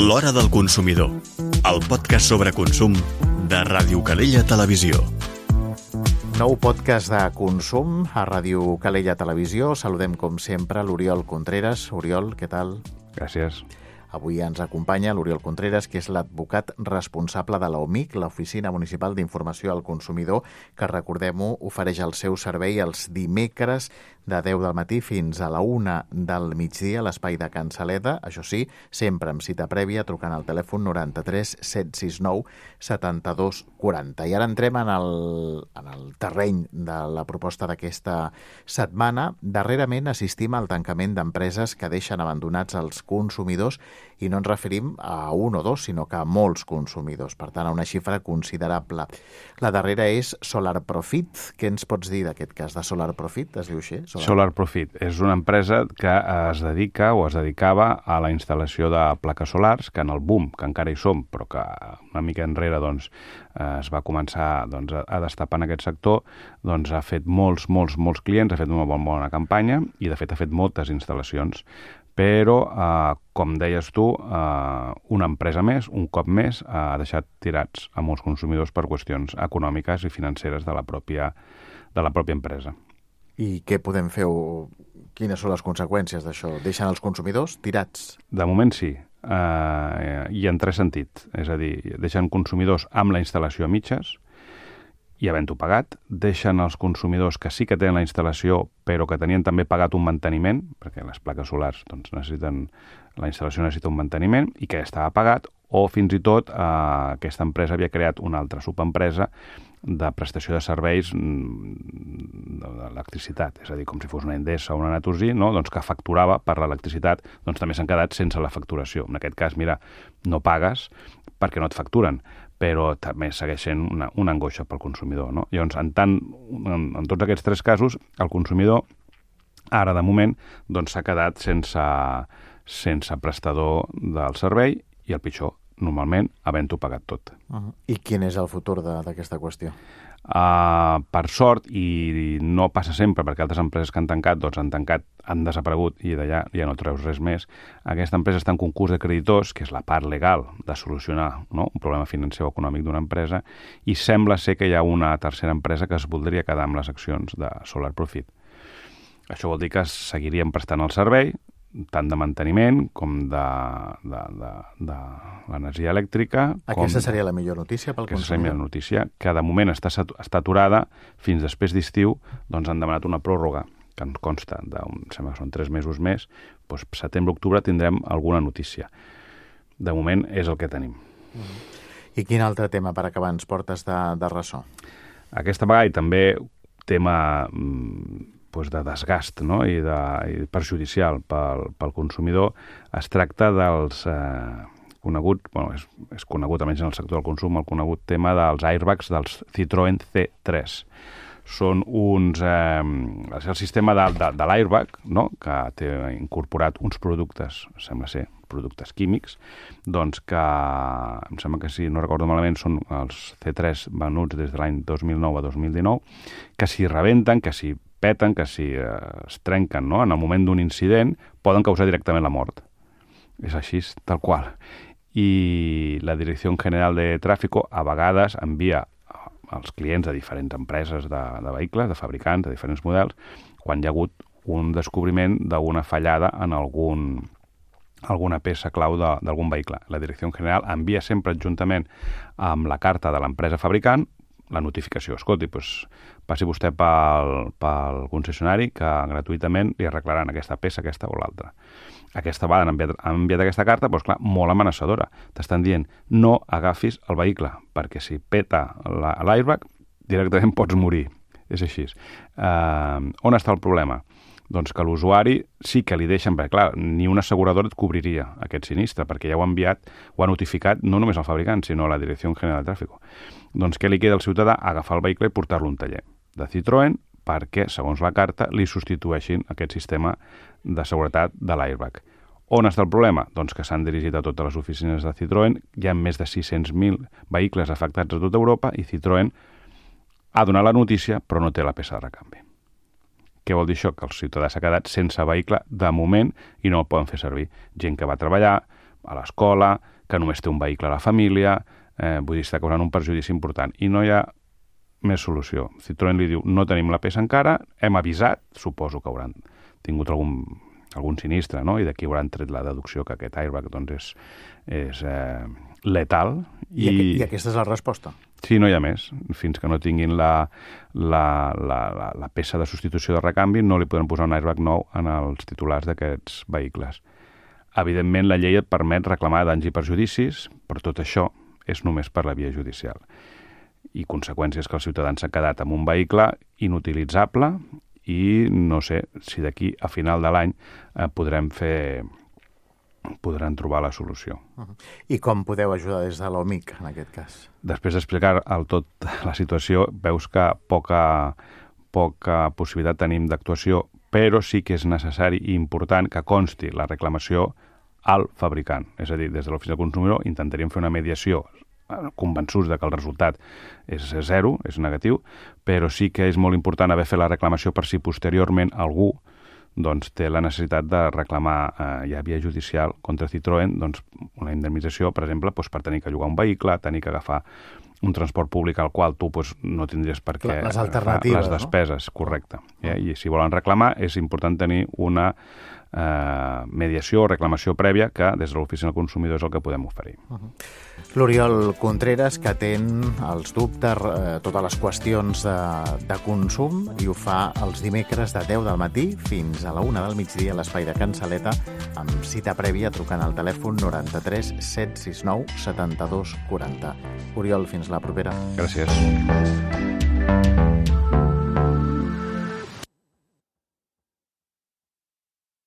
L'Hora del Consumidor, el podcast sobre consum de Ràdio Calella Televisió. Nou podcast de consum a Ràdio Calella Televisió. Saludem, com sempre, l'Oriol Contreras. Oriol, què tal? Gràcies. Avui ens acompanya l'Oriol Contreras, que és l'advocat responsable de l'OMIC, l'Oficina Municipal d'Informació al Consumidor, que, recordem-ho, ofereix el seu servei els dimecres de 10 del matí fins a la 1 del migdia a l'espai de Can Saleda. Això sí, sempre amb cita prèvia, trucant al telèfon 93 769 72 40. I ara entrem en el terreny de la proposta d'aquesta setmana. Darrerament assistim al tancament d'empreses que deixen abandonats els consumidors, i no ens referim a un o dos, sinó que a molts consumidors, per tant, a una xifra considerable. La darrera és Solar Profit. Què ens pots dir d'aquest cas de Solar Profit? Es diu així? Solar Profit és una empresa que es dedica o es dedicava a la instal·lació de plaques solars, que en el boom, que encara hi som, però que una mica enrere es va començar a destapar en aquest sector, ha fet molts clients, ha fet una bona campanya i, de fet, ha fet moltes instal·lacions. Però, com deies tu, una empresa més, un cop més, ha deixat tirats a molts consumidors per qüestions econòmiques i financeres de la pròpia empresa. I què podem fer o quines són les conseqüències d'això? Deixen els consumidors tirats? De moment sí, i en tres sentits. És a dir, deixen consumidors amb la instal·lació a mitges i havent-ho pagat, deixen els consumidors que sí que tenen la instal·lació però que tenien també pagat un manteniment, perquè les plaques solars la instal·lació necessita un manteniment i que ja estava pagat, o fins i tot aquesta empresa havia creat una altra subempresa de prestació de serveis d'electricitat, és a dir, com si fos una Endesa o una Naturgy, no? Que facturava per l'electricitat, també s'han quedat sense la facturació. En aquest cas, mira, no pagues perquè no et facturen, però també segueix sent una angoixa pel consumidor, no? Llavors, en tots aquests tres casos, el consumidor, ara de moment, s'ha quedat sense prestador del servei i el pitjor, normalment, havent-ho pagat tot. I quin és el futur d'aquesta qüestió? Per sort, i no passa sempre, perquè altres empreses que han tancat, han desaparegut i d'allà ja no treus res més. Aquesta empresa està en concurs de creditors, que és la part legal de solucionar un problema financer o econòmic d'una empresa, i sembla ser que hi ha una tercera empresa que es voldria quedar amb les accions de Solar Profit. Això vol dir que seguiríem prestant el servei, tant de manteniment com de l'energia elèctrica. Aquesta seria la millor notícia pel consumidor? Aquesta seria la millor notícia, que de moment està aturada fins després d'estiu. Han demanat una pròrroga que ens consta sembla que són 3 mesos més. Setembre-octubre tindrem alguna notícia. De moment és el que tenim. I quin altre tema, per acabar, ens portes de ressò? Aquesta vegada, i també tema de desgast, no? i perjudicial pel consumidor, es tracta dels és conegut, almenys en el sector del consum, el conegut tema dels airbags dels Citroën C3. Són és el sistema de l'airbag, no? Que té incorporat uns productes, sembla ser productes químics, que em sembla que, si no recordo malament, són els C3 venuts des de l'any 2009 a 2019, que si rebenten, que si peten, que si es trenquen, no? En el moment d'un incident, poden causar directament la mort. És així, tal qual. I la Direcció General de Tráfico a vegades envia als clients de diferents empreses de vehicles, de fabricants, de diferents models, quan hi ha hagut un descobriment d'una fallada en alguna peça clau d'algun vehicle. La Direcció General envia sempre adjuntament amb la carta de l'empresa fabricant la notificació. Escolti, passi vostè pel concessionari que gratuïtament li arreglaran aquesta peça, aquesta o l'altra. Aquesta vegada han enviat aquesta carta, molt amenaçadora. T'estan dient, no agafis el vehicle, perquè si peta l'airbag, directament pots morir. És així. On està el problema? Que l'usuari sí que li deixen, perquè clar, ni una asseguradora et cobriria aquest sinistre, perquè ja ho ha enviat, ho ha notificat no només al fabricant, sinó a la Direcció General de Tráfico. Què li queda al ciutadà? Agafar el vehicle i portar-lo a un taller de Citroën perquè, segons la carta, li substitueixin aquest sistema de seguretat de l'airbag. On està el problema? Que s'han dirigit a totes les oficines de Citroën, hi ha més de 600.000 vehicles afectats a tota Europa i Citroën ha donat la notícia però no té la peça de recanvi. Què vol dir això? Que el ciutadà s'ha quedat sense vehicle de moment i no el poden fer servir. Gent que va treballar, a l'escola, que només té un vehicle a la família, vull dir, està causant un perjudici important. I no hi ha més solució. Citroën li diu, no tenim la peça encara, hem avisat, suposo que hauran tingut algun sinistre, no? I d'aquí hauran tret la deducció que aquest airbag doncs, és letal. I aquesta és la resposta? Sí, no hi ha més. Fins que no tinguin la peça de substitució de recanvi, no li podran posar un airbag nou en els titulars d'aquests vehicles. Evidentment, la llei et permet reclamar danys i perjudicis, però tot això és només per la via judicial. I conseqüències que els ciutadans s'han quedat amb un vehicle inutilitzable i no sé si d'aquí a final de l'any podran trobar la solució. I com podeu ajudar des de l'OMIC, en aquest cas? Després d'explicar tot la situació, veus que poca possibilitat tenim d'actuació, però sí que és necessari i important que consti la reclamació al fabricant. És a dir, des de l'Oficina del Consumidor intentaríem fer una mediació convençuts de que el resultat és zero, és negatiu, però sí que és molt important haver fet la reclamació per si posteriorment algú doncs, té la necessitat de reclamar ja via judicial contra Citroën una indemnització, per exemple, per tenir que llogar un vehicle, tenir que agafar un transport públic al qual tu no tindries per què agafar les despeses, correcte. I si volen reclamar és important tenir una mediació o reclamació prèvia que des de l'Oficina del Consumidor és el que podem oferir. L'Oriol Contreras, que atén els dubtes, totes les qüestions de consum, i ho fa els dimecres de 10 del matí fins a la 1 del migdia a l'espai de Can Saleta, amb cita prèvia trucant al telèfon 93 769 72 40. Oriol, fins la propera. Gràcies.